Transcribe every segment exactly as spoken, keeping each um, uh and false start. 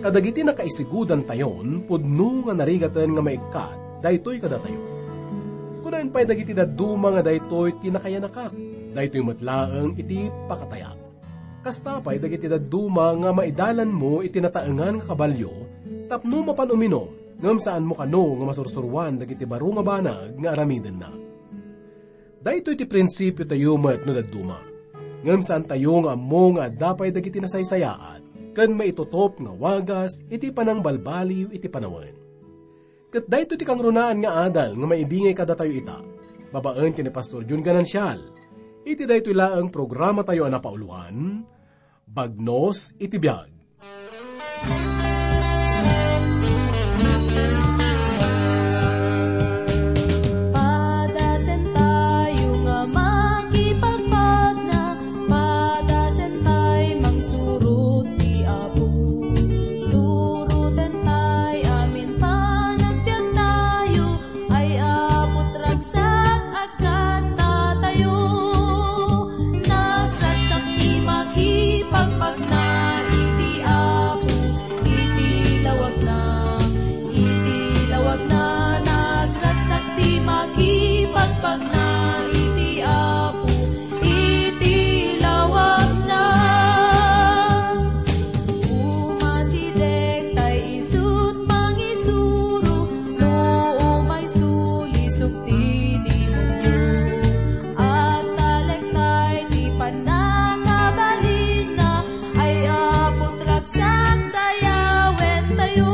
Dagiti nakaisigudantayon, pudno nga narigaten nga maikkat daytoy kadatayo. Kunaen pay dagiti dadduma nga daytoy ti nakayanakak, daytoy met laeng iti pakatayak. Kasta pay dagiti dadduma nga maidalanmo iti nataengan nga kabalio tapno mapan uminom, ngem saanmo kano nga masursuroan dagiti baro nga banag nga aramidenna. Daytoy ti prinsipiotayo met no dadduma. Ngem saantayo nga ammo nga adda pay dagiti nasaysayaat ken maitutop nga wagas iti panangbalbaliw iti panawen. Ket daytoy ti kangrunaan nga adal nga maibingay kadatayo ita, babaen ken ni Pastor Jun Ganancial, iti daytoy laeng programatayo a napauloan, Bagnos iti Biag. Padasen tayo nga makipagpagna, padasen tay mangsurot ti Apo. Suroten tay amin panagbiag tayo, ay Apo, ragsak agkanta tayo. Nagragsak ti makipagpagna iti Apo, iti lawagna, iti lawagna. Nagragsak ti makipagpagna iti Apo, iti lawagna. Umasideg tay isut' mangisuro, no umay sulisog ti demonio. Agtalek tay ti pannakabalinna, ay Apo, ragsak dayawen tayo.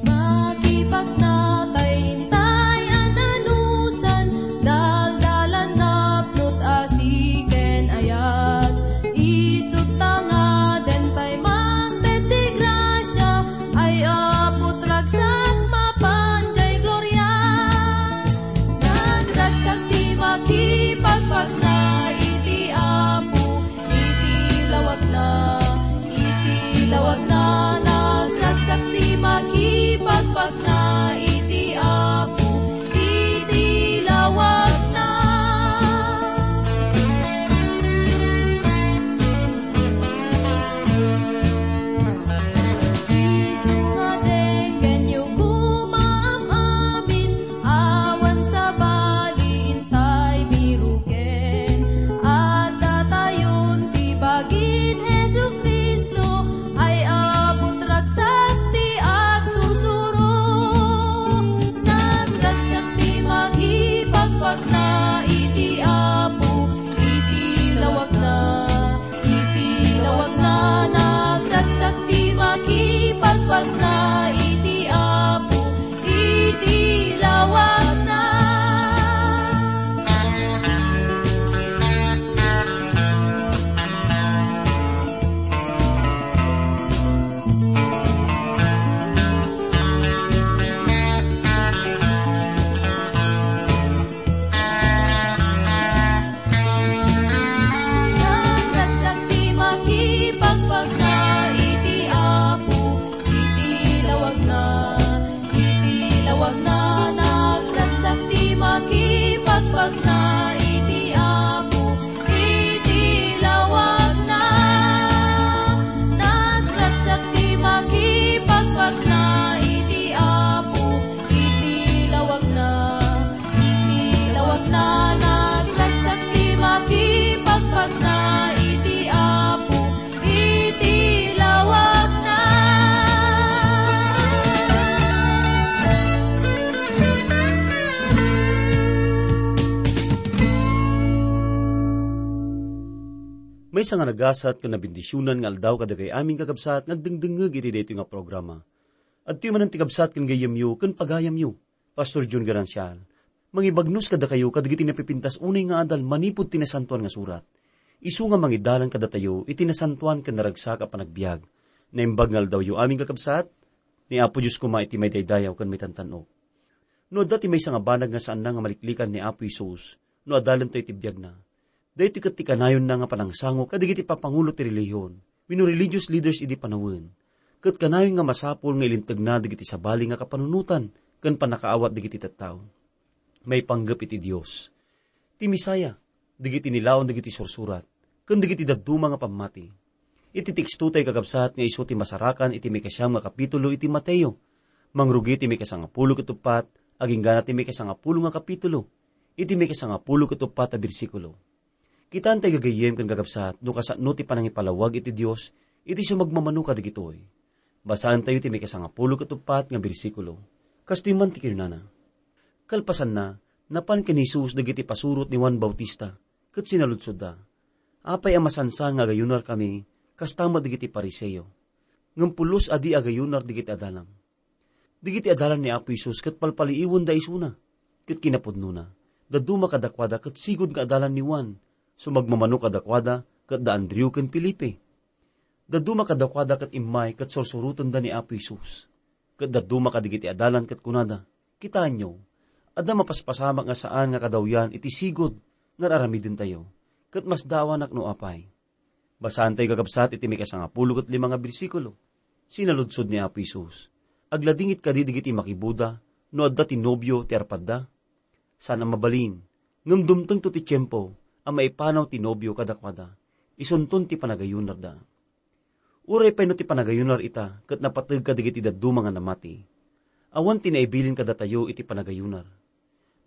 Makipagna tay intay a nanusan, daldalan napnot asi ken ayat. Isut' ta ngaden tay mangted ti grasia, ay Apo, ragsak mapan jay gloria. Nagragsak ti makipagpagna iti Apo, iti lawagna, iti lawagna. Nagragsak ti makipagpagna iti Apo, iti lawagna. Isu nga denggenyo koma am-amin, awan sabali intay biruken. Adda tayon ti bagin Jesu-Cristo, ay Apo, ragsak ti agsursuro. Nagragsak ti makipagpagna iti Apo, iti lawagna. Iti lawagna, nagragsak ti makipagpagna iti Apo, iti lawagna. Nagragsak ti makipagpagna iti Apo, iti lawagna, iti lawagna. Nagragsak ti makipagpagna iti Apo, iti lawagna. Nagragsak ti makipagpagna iti Apo, iti lawagna. Iti lawagna, nagragsak ti makipagpagna iti Apo, iti lawagna. Maysa nga nagasat ken nabendisionan nga aldaw kadagiti amin, kakabsat, nga agdengdengngeg iti daytoy nga programa. Adtoy manen ti kabsat ken gayyemyo ken pagayamyo, Pastor Jun Garancial. Mangibagnos kadakayo kadagiti napipintas unay nga adal manipud ti Nasantoan nga Surat. Isu nga mangidalan kadatayo iti nasantoan ken naragsak a panagbiag. Naimbag nga aldawyo amin, kakabsat, ni Apo Dios koma iti maidaydayaw ken maitantan-ok. No adda ti maysa nga banag nga saanna nga maliklikan ni Apo Jesus no adalentayo ti biagna, daytoy ket ti kanayonna nga panangsango kadagiti papangulo ti relihion wenno religious leaders idi panawen, ket kanayon nga masapul nga ilintegna dagiti sabali nga kapanunotan ken pannakaawat dagiti tattao. Maipanggep iti Dios. Ti Messiah, dagiti nilaon dagiti sursurat, ken dagiti dadduma nga pammati. Iti teksto tayo kakabsat nga isu ti masarakan iti maikasiam nga kapitulo iti Mateo. Mangrugi ti maikasangapulo ket uppat, agingga na ti maikasangapulo nga kapitulo, iti maikasangapulo ket uppat a bersikulo. Kitaan tayo gagayyem ken kakabsat no kasano ti panangipalawag iti Dios iti sumagmamano kadagitoy. Basaan tayo ti maikasangapulo ket uppat nga bersikulo. Kastoy man ti kinunana. Kalpasanna, napan ken ni Jesus dagiti pasurot ni Juan Bautista, ket sinaludsodda, "Apay a masansan nga agayunarkami, kasta met dagiti Fariseo? Ngem pulos a di agayunar dagiti adalam." Dagiti adalan ni Apo Jesus ket palpaliiwenda isuna, ket kinapudnona, dadduma kadakuada ket sigud nga adalan ni Juan, sumagmamano kadakuada ket da Andreo ken Felipe. Dadduma kadakuada ket immay ket sursurotenda ni Apo Jesus. Ket dadduma kadagiti adalan ket kunada, "Kitaenyo, adda mapaspasamak nga saan nga kadawyan iti sigud nga ar-aramidentayo, ket masdaawanak no apay." Basaantayo kakabsat iti maikasangapulo ket lima nga bersikulo. Sinaludsod ni Apo Jesus, "Agladingit kadi dagiti makibuda no adda ti nobio ti arpadda? Saan a mabalin, ngem dumtengto ti tiempo a maipanaw ti nobio kadakuada, isunton ti panagayunarda." Uray pay no ti panagayunar ita ket napateg kadagiti dadduma nga namati, awan ti naibilin kadatayo iti panagayunar.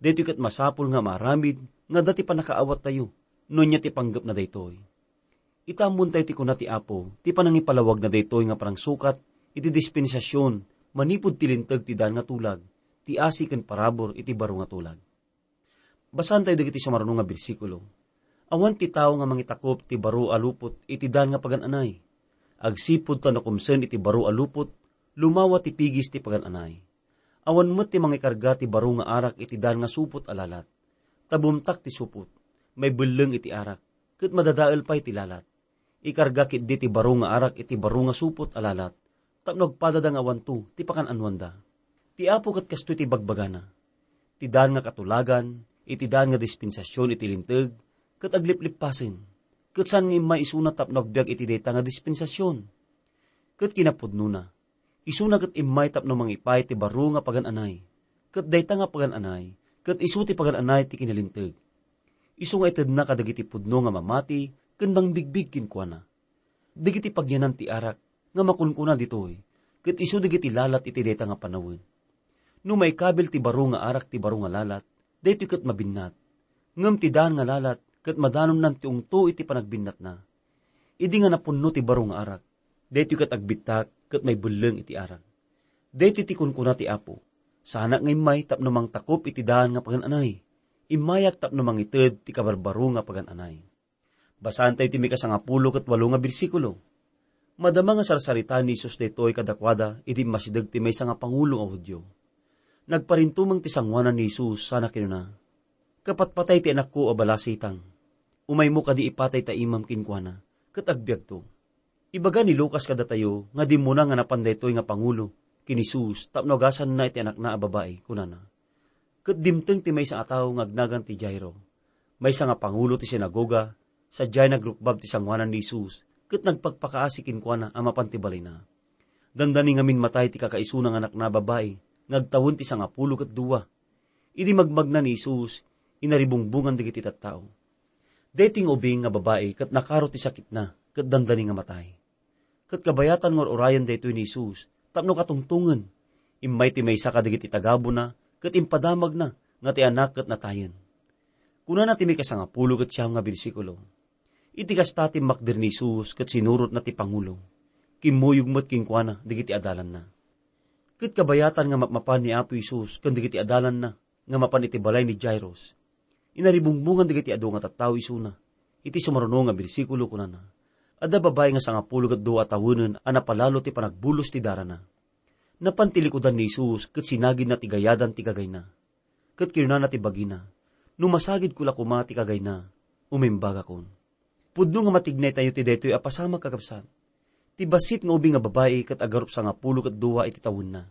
Daytoy ket masapul nga maaramid nga adda ti pannakaawattayo no ania ti panggepna daytoy. Ita ammontayo ti kuna ti Apo, ti panangipalawagna daytoy nga panangsukat iti dispensasyon manipud ti linteg ti daan nga tulag, ti asi ken parabur iti baro nga tulag. Basaantayo dagiti sumaruno nga bersikulo. Awan ti tao nga mangitakop ti baro a lupot iti daan nga pagan-anay. Agsipud ta nakumsen iti baro a lupot, lumawa ti pigis ti pagan-anay. Awan met ti mangikarga ti baro nga arak iti daan nga supot a lalat. Ta bumtak ti supot, maibelleng iti arak, ket madadael pay ti lalat. Ikarga ketdi ti baro nga arak iti baro nga supot a lalat, tapno agpadada nga awanto ti pakan-anuanda. Ti Apo ket kastoy ti bagbagana, "Ti daan nga katulagan, iti daan nga dispensasyon iti linteg, ket agliplippasen, ket saan nga immay isuna tapno agbiag iti dayta nga dispensasyon." Ket kinapudnona, isuna ket immay tapno mangipaay ti baro nga pagan-anay, ket dayta nga pagan-anay, ket isu ti pagan-anay ti kinalinteg. Isu nga itedna kadagiti pudno nga mamati ken mangbigbig kenkuana. Dagiti pagyanan ti arak nga makunkuna ditoy, ket isu dagiti lalat iti dayta nga panawen. No maikabil ti baro nga arak ti baro nga lalat, daytoy ket mabinnat. Ngem ti daan nga lalat ket madanonnan ti ungto iti panagbinnatna. Idi nga napunno ti baro nga arak, daytoy ket agbittak ket maibelleng iti arak. Daytoy ti kunkuna ti Apo, "Saanak nga immay tapno mangtakop iti daan nga pagan-anay. Immayak tapno mangited ti kabarbaro nga pagan-anay." Basaantayo ti maikasangapulo ket walo nga bersikulo. Madama nga sarsaritaen ni Jesus daytoy kadakuada idi immasideg ti maysa nga pangulo a Judio. Nagparintumeng ti sangoanan ni Jesus sana kinuna, "Kapatpatay ti anakko a balasitang. Umaymo kadi ipatay ta imam kenkuana, ket agbiagto." Ibaga ni Lucas kadatayo nga dimmuna nga napan daytoy nga pangulo ken ni Jesus tapno agasanna iti anakna a babai, kunana, "Ket dimteng ti maysa a tao nga agnagan ti Jairo, maysa nga pangulo ti sinagoga, sadiay nagrukbab ti sangoanan ni Jesus ket nagpakpakaasi kenkuana a mapan ti balayna. Dandani ngamin matay ti kakaisuna nga anakna a babai nga agtawen ti sangapulo ket dua." Idi magmagna ni Jesus, inaribungbongan dagiti tattao. Daytoy nga ubing nga babai ket nakaro ti sakitna ket dandani nga matay. Ket kabayatan nga ur-urayen daytoy ni Jesus tapno katungtongen. Immay ti maysa kadagiti tagabuna ket impadamagna nga ti anak ket natayen. Kunana ti maikasangapulo ket siam nga bersikulo, "Iti kasta, timmakder ni Jesus ket sinurotna ti pangulo. Kimmuyog met kenkuana dagiti adalanna." Ket kabayatan nga mapmapan ni Apo Jesus ken dagiti adalanna nga mapan iti balay ni Jairus, inaribungbongan dagiti adu nga tattao isuna. Iti sumaruno nga bersikulo, kunana, "Adda babai nga sangapulo ket dua a tawenen a napalalo ti panagbulos ti darana. Napan ti likudan ni Jesus ket sinagidna ti gayadan ti kagayna. Ket kinunana ti bagina, 'No masagidko la koma ti kagayna, umimbagakon.'" Pudno nga matignay tayo ti daytoy a pasamak, kakabsat. Ti bassit nga ubing nga babai ket agarup sangapulo ket dua iti tawenna.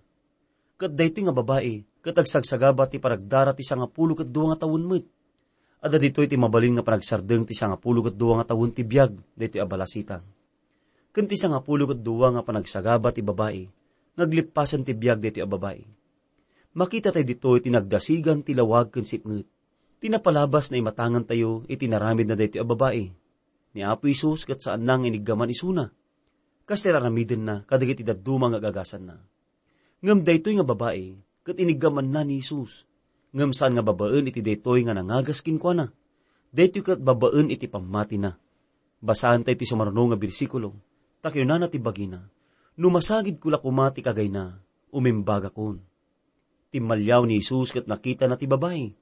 Ket daytoy nga babai ket agsagsagaba ti panagdara ti sangapulo ket dua nga tawen met. Adda ditoy ti mabalin nga panagsardeng ti sangapulo ket dua nga tawen ti biag daytoy a balasitang. Ken ti sangapulo ket dua nga panagsagaba ti babai nga aglippasen ti biag daytoy a babai. Makita tayo ditoy ti nagdasigan ti lawag ken sipnget. Ti napalabas nga imatangantayo iti naramidna daytoy a babai. Ni Apo Jesus ket saanna nga iniggaman isuna, kas ti aramidenna kadagiti dadduma nga agagasanna. Ngem daytoy nga babai ket iniggamanna ni Jesus, ngem saan nga babaen iti daytoy nga nangagas kenkuana. Daytoy ket babaen iti pammatina. Basaentayo ti sumaruno nga bersikulo, ta kinunana ti bagina, "No masagidko la koma ti kagayna, umimbagakon." Timmaliaw ni Jesus ket nakitana ti babai.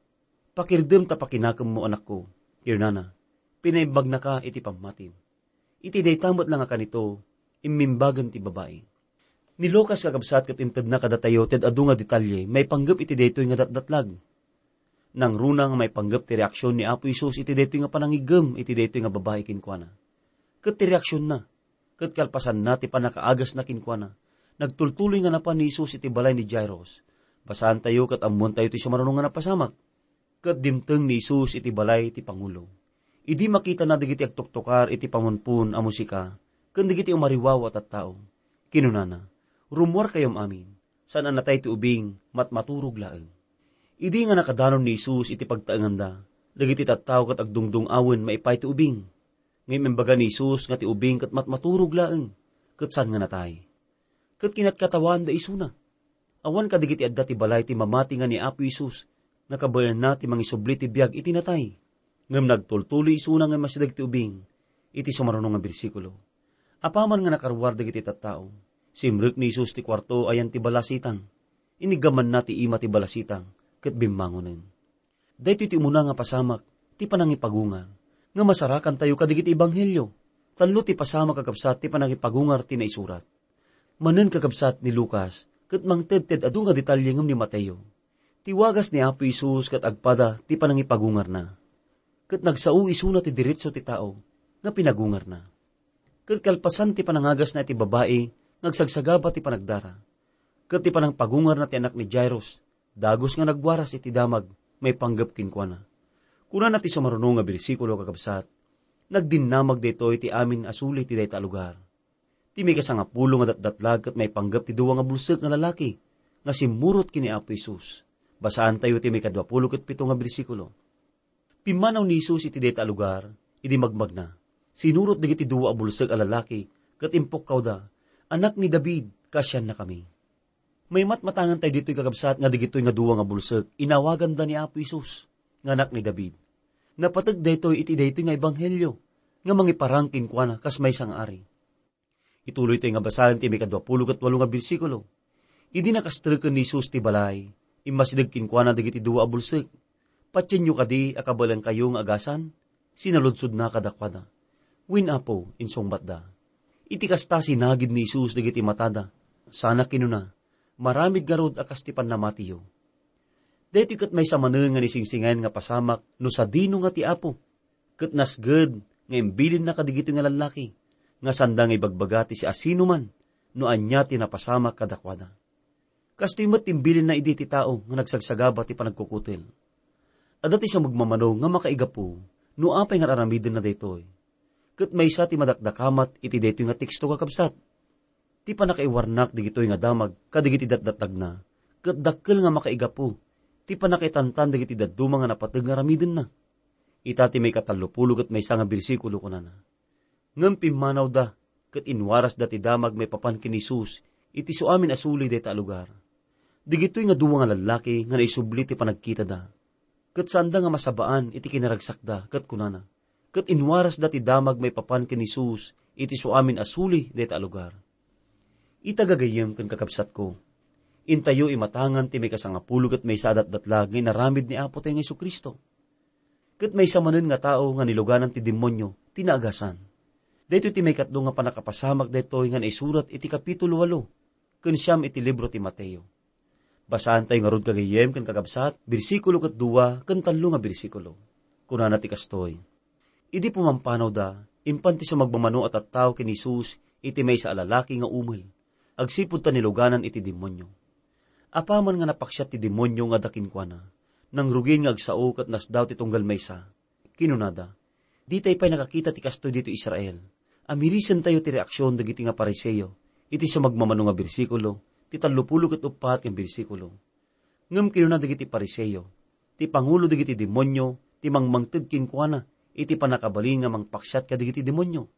"Pakirdem ta pakinakemmo, anakko," kinunana. "Pinaimbagnaka iti pammatim." Iti dayta met la nga kanito, immimbagen ti babai. Ni Lucas, kakabsat, ket intedna kadatayo ti adu nga detalye maipanggep iti daytoy nga datdatlag. Nangruna nga maipanggep ti reaksion ni Apo Jesus iti daytoy nga panangiggem iti daytoy nga babai kenkuana. Ket ti reaksionna, ket kalpasanna ti pannakaagasna kenkuana, nagtultuloy nga napan ni Jesus iti balay ni Jairus. Basaantayo ket ammoentayo ti sumaruno nga napasamak. Ket dimteng ni Jesus iti balay ti pangulo. Idi makitana dagiti agtuktukar iti pamunpon a musika ken dagiti umariwawa a tattao, kinunana, "Rummuarkayom amin, saan a natay ti ubing, matmaturog laeng." Idi nga nakadanon ni Jesus iti pagtaenganda, dagiti tattao ket agdungdung-awen maipaay ti ubing. Ngem imbaga ni Jesus nga ti ubing ket matmaturog laeng, ket saan nga natay. Ket kinatkatawan da isuna. Awan kadagiti adda ti balay ti mamati nga ni Apo Jesus nga kabaelanna ti mangisubli ti biag iti natay. Ngem nagtultuloy isuna nga immasideg ti ubing iti sumaruno nga bersikulo. Apaman nga nakaruar dagiti tattao, simrek ni Jesus ti kuarto ayan ti balasitang. Iniggamanna ti ima ti balasitang ket bimmangonen. Daytoy ti umuna nga pasamak ti panangipagungar nga masarakantayo kadagiti ebanghelio. Tallo ti pasamak, kakabsat, ti panangipagungar ti naisurat. Manen, kakabsat, ni Lucas ket mangted ti adu nga detalye ngem ni Mateo. Ti wagas ni Apo Jesus ket agpada ti panangipagungarna. Ket nagsao isuna ti diretso ti tao nga pinagungarna. Ket kalpasan ti panangagasna iti babai nga agsagsagaba ti panagdara. Ket ti panangpagungarna ti anak ni Jairus, dagus nga nagwaras iti damag maipanggep kenkuana. Kunana ti sumaruno nga bersikulo, kakabsat, "Nagdinnamag daytoy ti amin a suli ti dayta a lugar." Ti maikasangapulo nga datdatlag ket maipanggep ti dua nga bulsek nga lalaki nga simmurot ken ni Apo Jesus. Basaantayo ti maikaduapulo ket pito nga bersikulo. Pimmanaw ni Jesus iti dayta a lugar, idi magmagna, sinurot dagiti dua a bulsek a lalaki ket impukkawda, "Anak ni David, kaasiannakami." Maimatmatangan tayo ditoy, kakabsat, nga dagitoy nga dua nga bulsek, inawaganda ni Apo Jesus nga Anak ni David. Napateg daytoy iti daytoy nga ebanghelio nga mangiparang kenkuana kas maysa nga ari. Ituloy tayo nga basaen ti maikaduapulo ket walo nga bersikulo. Idi nakastreken ni Jesus ti balay, immasideg kenkuana dagiti dua a bulsek. "Patienyo kadi a kabaelankayo nga agasan?" sinaludsodna kadakuada. "Wen, Apo," insungbatda. Iti kasta, sinagid ni Jesus dagiti matada, sana kinuna, "Maramid ngarud a kas ti pannamatiyo." Daytoy ket maysa manen nga naisingsingir nga pasamak no sadino nga ti Apo. Ket nasged nga imbilinna kadagitoy nga lallaki nga sanda nga ibagbaga ti siasinoman no ania ti napasamak kadakuada. Kastoy met ti imbilinna idi ti tao nga nagsagsagaba ti panagkukutel. Adda ti sumagmamano nga makaigapu no apay nga ar-aramidenna daytoy. Ket maysa ti madakdakamat iti daytoy nga teksto, kakabsat. Ti pannakaiwarnak dagitoy nga damag kadagiti datdatagna, ket dakkel nga makaigapu ti pannakaitantan dagiti dadduma nga napateg nga aramidenna. Ita ti maikatallopulo ket maysa nga bersikulo, kunana, "Ngem pimmanawda ket inwarasda ti damag maipapan ken ni Jesus iti suamin a suli dayta a lugar." Dagitoy nga dua nga lallaki nga naisubli ti panagkitada. Ket saanda nga masabaan iti kinaragsakda ket kunana, "Ket inwarasda ti damag maipapan ken ni Jesus iti suamin a suli dayta a lugar." Ita, gagayyem ken kakabsatko, intayo imatangan ti maikasangapulo ket maysa a datdatlag nga inaramid ni Apo tayo nga Jesu-Cristo. Ket maysa manen nga tao nga niluganan ti demonio ti naagasan. Daytoy ti maikatlo nga pannakapasamak daytoy nga naisurat iti kapitulo walo ken siam iti libro ti Mateo. Basaantayo ngarud, gagayyem ken kakabsat, bersikulo ket dua ken tallo nga bersikulo. Kunana ti kastoy, "Idi pumampanawda, impan ti sumagmamano a tattao ken ni Jesus iti maysa a lalaki nga umel, agsipud ta niluganan iti demonio. Apaman nga napaksiat ti demonio nga adda kenkuana, nangrugin nga agsao ket nasdaw ti tunggal maysa. Kinunada, 'Ditay pay nakakita ti kastoy ditoy Israel. Amirisentayo ti reaksion dagiti nga Fariseo iti sumagmamano nga bersikulo, ti tallopulo ket uppat nga bersikulo.' Ngem kinuna dagiti Fariseo, ti pangulo dagiti demonio ti mangmangted kenkuana iti pannakabalin nga mangpaksiat kadagiti demonio.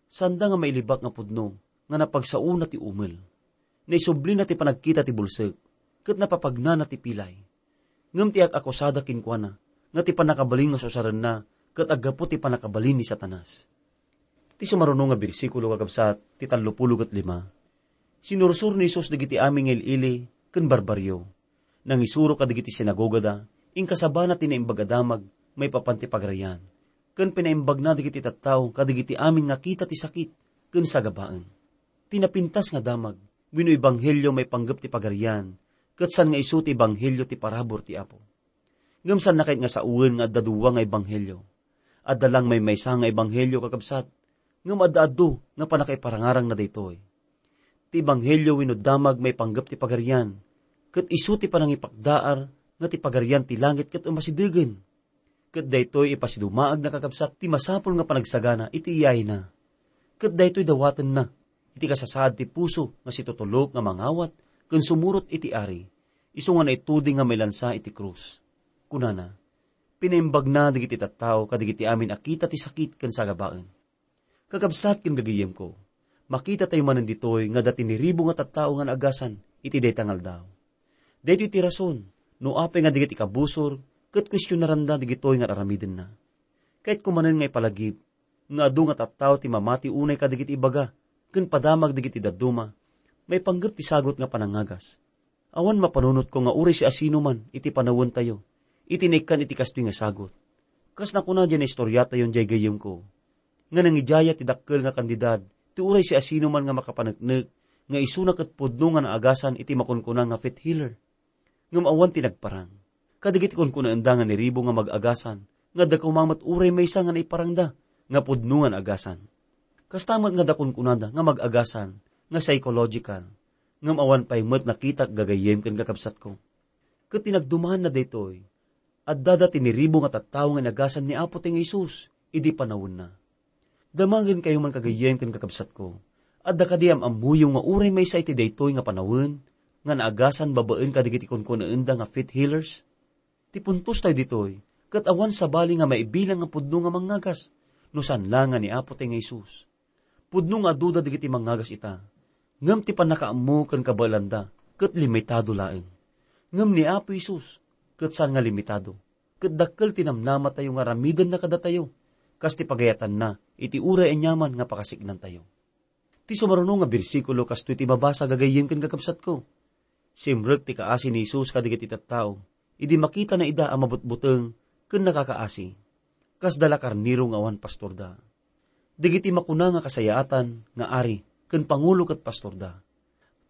Saanda nga mailibak nga pudno nga napagsaona ti umel. Naisublina ti panagkita ti bulsek, ket napapagnana ti pilay. Ngem ti ak-akusada kenkuana nga ti pannakabalin nga susarenna ket aggapu ti pannakabalin ni Satanas. Ti sumaruno nga bersikulo, kakabsat, ti tallopulo ket lima. Sinursor ni Jesus dagiti amin nga il-ili ken barbarrio. Nangisuro kadagiti sinagogada, inkasabana ti Naimbag a Damag maipapan ti Pagarian, ken pinaimbagna dagiti tattao kadagiti amin nga kita ti sakit ken sagabaen. Ti napintas nga damag wenno ebanghelio maipanggep ti Pagarian, ket saan nga isu ti ebanghelio ti parabur ti Apo. Ngem saanna kayat nga saoen nga adda dua nga ebanghelio. Adda laeng maymaysa nga ebanghelio, kakabsat, ngem adda adu nga pannakaiparangarangna daytoy. Ti ebanghelio wenno damag maipanggep ti Pagarian, ket isu ti panangipakdaar nga ti Pagarian ti langit ket umasidegen. Ket daytoy ipasidumaagna, kakabsat, ti masapul nga panagsagana iti iyayna. Ket daytoy dawatenna iti kasasaad ti puso nga situtulok nga mangawat ken sumurot iti Ari, isu nga naituding nga mailansa iti krus. Kunana, pinaimbagna dagiti tattao kadagiti amin a kita ti sakit ken sagabaen. Kakabsat ken gagayyemko, makitatayo manen ditoy nga adda tiniribo nga tattao nga naagasan iti dayta nga aldaw. Daytoy ti rason no apay nga dagiti kabusor ket kuestionaranda dagitoy nga aramidenna. Kayatko manen nga ipalagip nga adu nga tattao ti mamati unay kadagiti ibaga ken padamag dagiti dadduma maipanggep ti sagut nga panangagas. Awan mapanunotko nga uray siasinoman iti panawentayo iti naikkan iti kastoy nga sagut. Kas nakuna diay naistoriatayon diay gayyemko, nga nangidiaya ti dakkel nga kandidad ti uray siasinoman nga makapaneknek nga isuna ket pudno nga naagasan iti makunkuna nga faith healer. Ngem awan ti nagparang. Kadagiti kunkunaenda nga niribo nga mag-agasan, nga adda koma met uray maysa nga naiparangda nga pudno nga naagasan. Kasta met nga adda kunkunada nga mag-agasan nga psychological, ngem awan pay met nakitak gagayyem ken kakabsatko. Ket ti nagdumaanna daytoy, addada ti niribo nga tattao nga inagasan ni Apo ti nga Jesus idi panawenna. Damagenkayo man, kagayyem ken kakabsatko, adda kadi am-ammoyo nga uray maysa iti daytoy nga panawen nga naagasan babaen kadagiti kunkunaenda nga faith healers? Ti puntostayo ditoy, ket awan sabali nga maibilang nga pudno nga mangngagas, no saan la nga ni Apo ti nga Jesus. Pudno nga aduda dagiti mangngagas ita, ngem ti pannakaammo ken kabaelanda ket limitado laeng. Ngem ni Apo Jesus, ket saan nga limitado, ket dakkel ti namnamatayo nga aramidenna kadatayo, kas ti pagayatanna iti uray aniaman nga pakasiknantayo. Ti sumaruno nga bersikulo kastoy ti mabasa, gagayyem ken kakabsatko. Simrek ti kaasi ni Jesus kadagiti tattao idi makitana ida a mabutbuteng ken nakakaasi. Kasda la karnero nga awan pastorda. Dagiti makuna nga kasayaatan nga ari ken pangulo ket pastorda.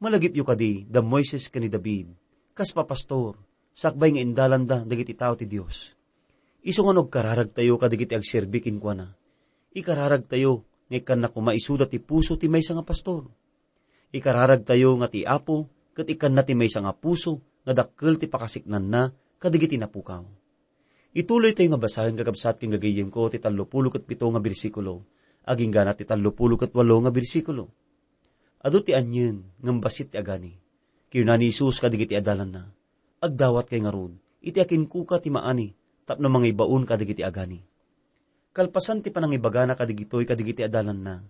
Malagipyo kadi da Moises ken ni David, kas papastor, sakbay nga indalanda dagiti tao ti Dios. Isu nga no agkararagtayo kadagiti agserbi kenkuana, ikararagtayo nga ikkanna koma isuda ti puso ti maysa nga pastor. Ikararagtayo nga ti Apo ket ikkanna ti maysa nga puso nga dakkel ti pakasiknanna kadagiti napukaw. Ituloytayo nga basaen, kakabsat ken gagayyemko, ti tallopulo ket pito nga bersikulo, agingga ti tallopulo ket walo nga bersikulo. Adu ti anien, ngem bassit ti agani. Kinuna ni Jesus kadagiti adalanna, "Agdawatkay ngarud, iti akinkuka ti maani tapno mangibaon kadagiti agani." Kalpasan ti panangibagana kadagitoy kadagiti adalanna,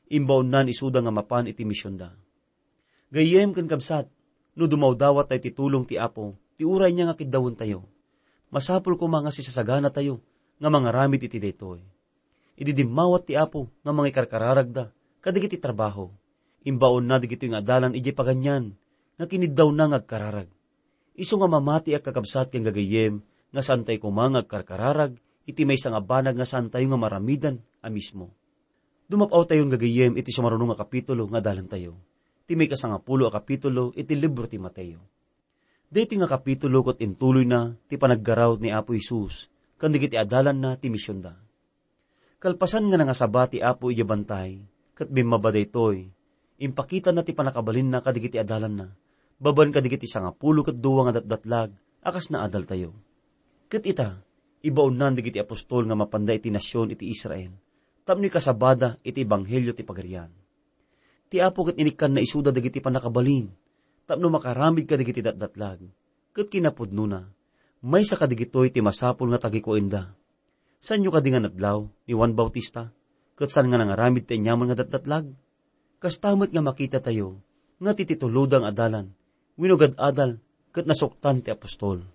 imbaonnan isuda nga mapan iti misionda. Gayyem ken kabsat, no dumawdawat tayo ti tulong ti Apo, ti uray niya nga kiddawentayo, masapul koma nga sisasaganatayo nga mangaramid iti daytoy. Idi dimmawat ti Apo nga mangikarkararagda kadagiti trabaho, imbaonna dagitoy nga adalan idiay paganian nga kiniddawna nga agkararag. Isu nga mamatiak, kakabsat ken gagayyem, nga saantayo koma nga agkarkararag iti maysa nga banag nga saantayo nga maramidan a mismo. Dumap-awtayon, gagayyem, iti sumaruno nga kapitulo nga adalantayo, ti maikasangapulo a kapitulo iti libro ti Mateo. Daytoy nga kapitulo ket intuloyna ti panaggaraw ni Apo Jesus ken dagiti adalanna ti misionda. Kalpasan nga nangasaba ti Apo idiay bantay ket bimmaba daytoy, impakitana ti pannakabalinna kadagiti adalanna, babaen kadagiti sangapulo ket dua nga datdatlag a kas naadaltayo. Ket ita, ibaonnan dagiti apostol nga mapanda iti nasion iti Israel tapno ikasabada iti ebanghelio ti Pagarian. Ti Apo ket inikkanna isuda dagiti pannakabalin tapno makaramid kadagiti datdatlag. Ket kinapudnona, Maysa kadigitoy ti masapul nga tagikuenda. Saanyo kadi nga nadlaw ni Juan Bautista, ket saan nga nangaramid ti aniaman nga datdatlag? Kasta met nga makitatayo nga ti tituloda nga adalan, winugad adal ket nasuktan ti apostol.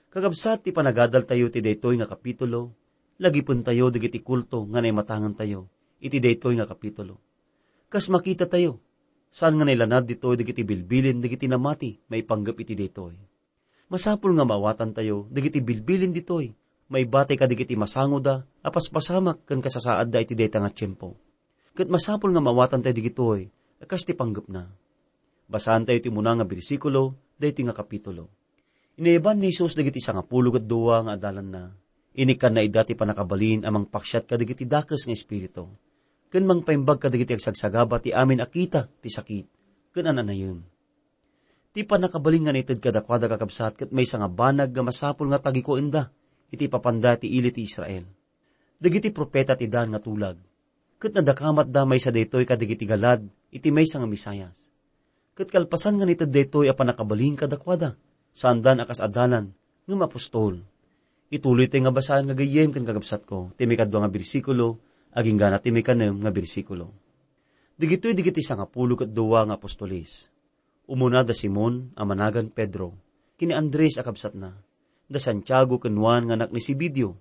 Kakabsat, ti panagadaltayo ti daytoy nga kapitulo, lagipentayo dagiti kulto nga naimatangantayo iti daytoy nga kapitulo. Kas makitatayo, saan nga nailanad ditoy dagiti bilbilin dagiti namati maipanggep iti daytoy. Masapul nga maawatantayo dagiti bilbilin ditoy maibatay kadagiti masangoda a paspasamak ken kasasaadda iti dayta nga tiempo. Ket masapul nga maawatantayo dagitoy a kas ti panggepna. Basaantayo ti umuna nga bersikulo daytoy nga kapitulo. Inaiban ni Jesus dagiti sangapulo ket dua nga adalanna. Inikkanna ida ti pannakabalin a mangpaksiat kadagiti dakes nga espiritu, ken mangpaimbag kadagiti agsagsagaba ti amin a kita ti sakit ken an-anayen. Ti pannakabalin nga naited kadakuada, kakabsat, ket maysa nga banag nga masapul nga tagikuenda iti ipapanda ti ili ti Israel. Dagiti profeta ti daan nga tulag, ket nadakamatda maysa daytoy kadagiti galad iti maysa nga Mesias. Ket kalpasan nga naited daytoy a pannakabalin kadakuada, saandan a kas adalan, ngem apostol. Ituloytayo nga basaen nga gayyem ken kakabsatko ti maikadua nga bersikulo, agingga na ti maikanem nga bersikulo. Dagitoy dagiti sangapulo ket dua nga apostoles. Umuna da Simon a managan Pedro, ken ni Andres a kabsatna, da Santiago ken Juan nga anak ni Zebedeo,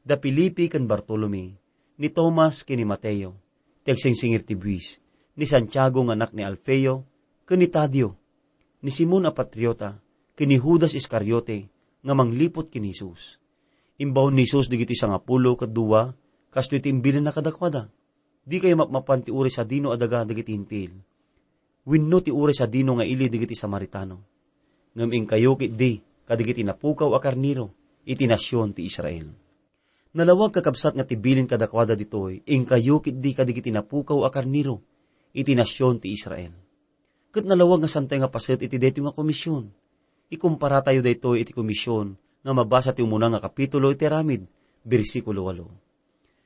da Felipe ken Bartolome, ni Tomas ken ni Mateo, ti agsingsingir ti buis, ni Santiago nga anak ni Alfeo, ken ni Tadeo, ni Simon a Patriota, ken ni Judas Iscariote nga mangliput ken ni Jesus. Imbaon ni Jesus dagiti sangapulo ket dua, kastoy ti imbilinna kadakuada, "Dikayo mapmapan ti uray sadino a daga dagiti Hentil, wenno ti uray sadino nga ili dagiti Samaritano. Ngem inkayo ketdi kadagiti napukaw a karnero iti nasion ti Israel." Nalawag, kakabsat, nga ti bilin kadakuada ditoy, "Inkayo ketdi kadagiti napukaw a karnero iti nasion ti Israel." Ket nalawag nga saantayo nga paset iti daytoy nga komisyon. Ikumparatayo daytoy iti komisyon nga mabasa ti umuna nga kapitulo iti Aramid, bersikulo walo.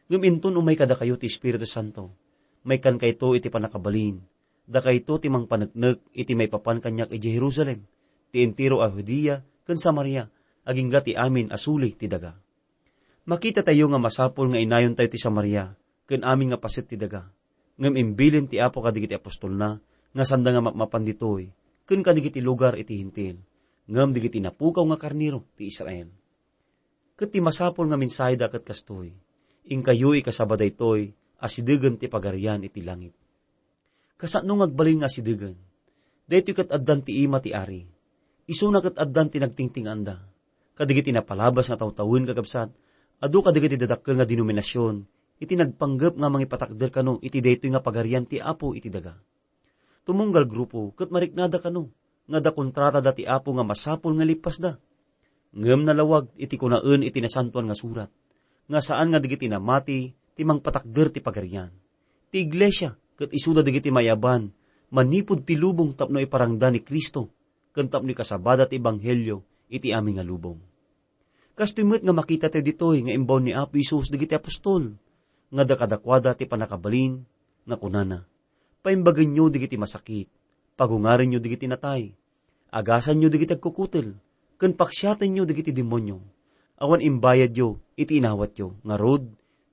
Ngem inton umay kadakayo ti Espiritu Santo, maikkankayto iti pannakabalin. Dakayto ti mangpaneknek iti maipapan kaniak idiay Jerusalem, ti entero a Judea ken Samaria, agingga ti amin a suli ti daga. Makitatayo nga masapul nga inayontayo ti Samaria ken amin nga paset ti daga. Ngem imbilin ti Apo kadagiti apostolna nga saanda nga mapmapan ditoy ken kadagiti lugar iti Hentil, ngem dagiti napukaw nga karnero ti Israel. Ket ti masapul nga mensaheda ket kastoy, "Inkayo ikasaba daytoy a sidegen ti Pagarian iti langit." Kasano nga agbalin nga asidegen? Daytoy ket addan ti ima ti ari. Isuna ket addan ti nagtingtinganda. Kadagiti napalabas nga tawtawen, kakabsat, adu kadagiti dadakkel nga denominasion iti nagpanggep nga mangipatakder kano iti daytoy nga Pagarian ti Apo iti daga. Tumunggal grupo ket mariknada kano nga adda kontratada ti Apo nga masapul nga ilippasda. Ngem nalawag iti kunaen iti Nasantoan nga Surat nga saan nga dagiti namati ti mangpatakder ti Pagarian. Ti iglesia ket isuda dagiti maiyaban manipud ti lubong tapno iparangda ni Cristo ken tapno ikasabada ti ebanghelio iti amin nga lubong. Kastoy met nga makitatayo ditoy nga imbaon ni Apo Jesus dagiti apostol nga adda kadakuada ti pannakabalin nga kunana, "Paimbagenyo dagiti masakit, pagungarenyo dagiti natay, agasanyo dagiti agkukutel, ken paksiatenyo dagiti demonio. Awan imbayadyo iti inawatyo, ngarud,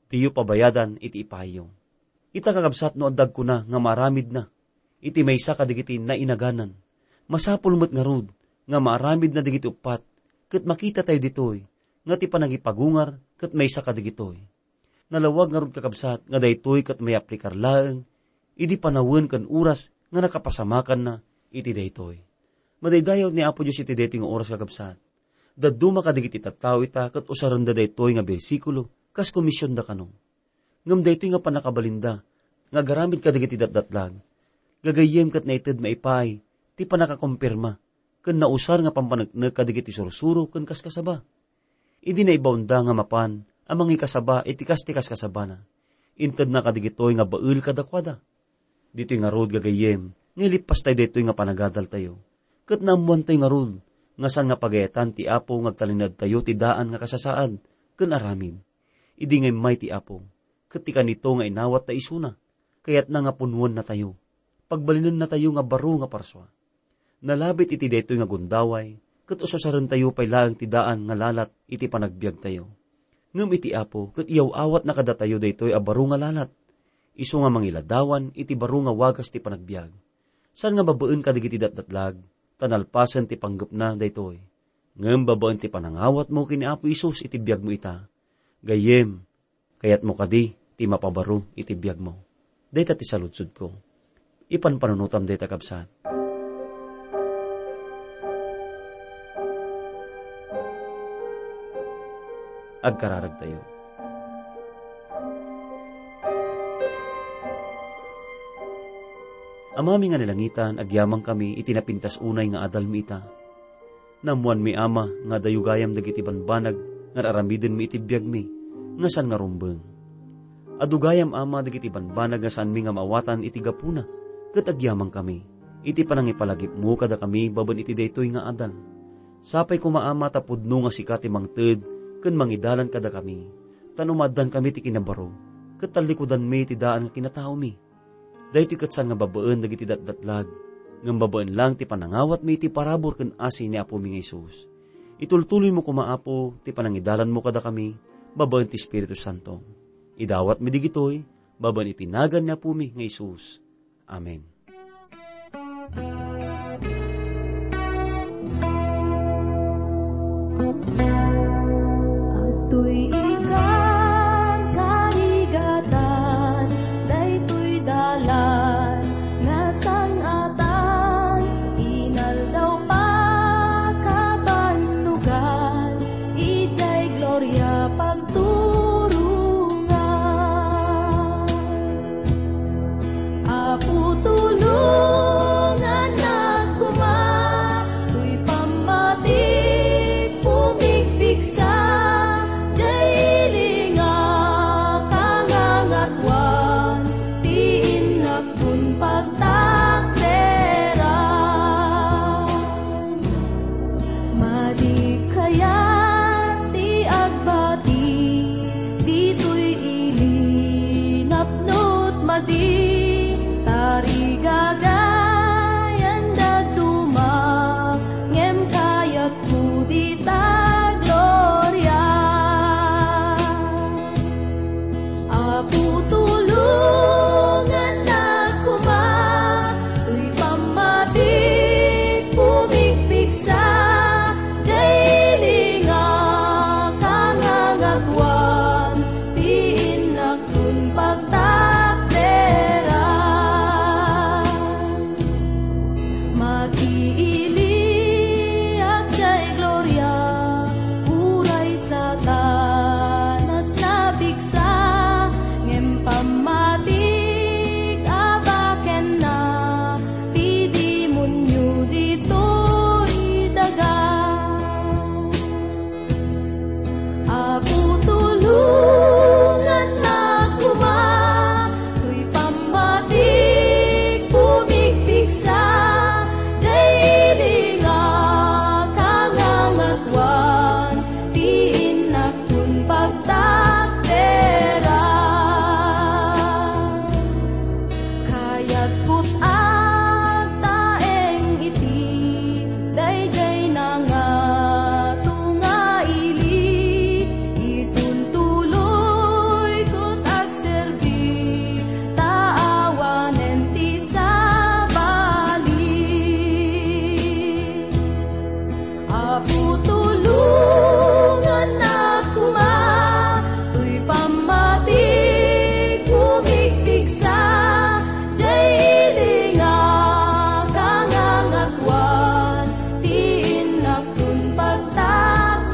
diyo pabayadan iti ipaayyo." Ita, kakabsat, no adda agkuna nga maaramidna iti maysa kadagiti nainaganan, masapul met ngarud nga maaramidna dagiti uppat, ket makitatayo ditoy nga ti panagipagungar ket maysa kadagitoy. Nalawag ngarud, kakabsat, nga daytoy ket mayaplikar laeng idi panawen ken oras nga nakapasamakanna iti daytoy. Madaydayaw ni Apo Dios iti daytoy nga oras, kakabsat. Dadduma kadagiti tattao ita ket usarenda daytoy nga bersikulo kas komisionda kano. Ngem daytoy nga pannakabalinda nga agaramid kadagiti datdatlag, gagayyem ket naited maipaay ti pannakakompirma ken nausar nga pampaneknek kadagiti sursuro ken kaskasaba. Idi naibaonda nga mapan a mangikasaba iti kas ti kaskasabana, intedna kadagitoy nga bael kadakuada. Ditoy ngarud, gagayyem, nga ilippastayo daytoy nga panagadaltayo, ket naammoantayo ngarud nga saan nga pagayatan ti Apo nga agtalinaedtayo ti daan nga kasasaad ken aramid. Idi nga immay ti Apo, ket ti kanito nga inawatta isuna, kayatna nga punnuennatayo, pagbalinennatayo nga baro nga parsua. Nalabit iti daytoy nga gundaway, ket ususarentayo pay laeng ti daan nga lalat iti panagbiagtayo. Ngem iti Apo, ket iyaw-awatna kadatayo daytoy a baro nga lalat, isu nga mangiladawan iti baro nga wagas ti panagbiag. Saan nga babaen kadagiti datdatlag, ta nalpasen ti panggepna daytoy. Ngem babaen ti panangawatmo ken ni Apo Jesus iti biagmo ita, gayyem, kayatmo kadi ti mapabaro iti biagmo. Dayta ti saludsodko. Ipanpanunotam dayta, kabsat. Agkararagtayo. Amami nga nalangitan, agyamankami iti napintas unay nga adalmi ita. Naammoanmi, Ama, nga adu gayam dagiti banbanag nga ar-aramidenmi iti biagmi nga saan nga rumbeng. Adu gayam, Ama, dagiti banbanag nga saanmi nga maawatan iti gapuna, ket agyamankami iti panangipalagipmo kadakami babaen iti daytoy nga adal. Sapay koma, Ama, ta pudno nga sika ti mangted ken mangidalan kadakami, ta no maaddankami ti kinabaro, ket tallikudanmi ti daan nga kinataomi. Daytoy ket saan nga babaen dagiti datdatlag, ngem babaen lang ti panangawatmi iti parabur ken asi ni Apomi nga Jesus. Itultuloymo koma, Apo, ti panangidalanmo kadakami babaen ti Espiritu Santo. Idawatmi digitoy babaen iti nagan ni Apomi nga Jesus. Amen. Adtoy ikan karigatan, daytoy dalan nga sang-atan, inaldaw pakabannogan, idiay gloria pagturongan. Apo, tulongannak koma, toy pammatik pumigpigsa, diay ili nga kangangatoan, ti innak kun pagtakderan. Madi kayat ti agbati ditoy ili napnot madi, tarigagayan dadduma, ngem kayatko dita gloria. Apo, tulongannak koma, toy pammatik pumigpigsa, diay ili nga kangangatoan, ti innak kun pagtakderan. Makiiliak diay gloria, uray Satanas napigsa, ngem pammatik a bakenna, ti demonio ditoy daga. Apo, tulongannak koma, toy pammatik pumigpigsa, diay ili nga kangangatoan, ti innak kun pagtakderan. Kayatko ti agtaeng iti daydiay nangato nga ili, itultuloyko ti agserbi, ta awanen ti sabali. Apo, tulongannak koma, toy pammatik pumigpigsa, diay ili nga kangangatoan, ti innak kun pagtakderan.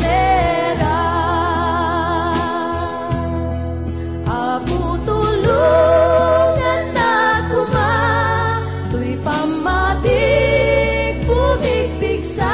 Apo, tulongannak koma, toy pammatik pumigpigsa,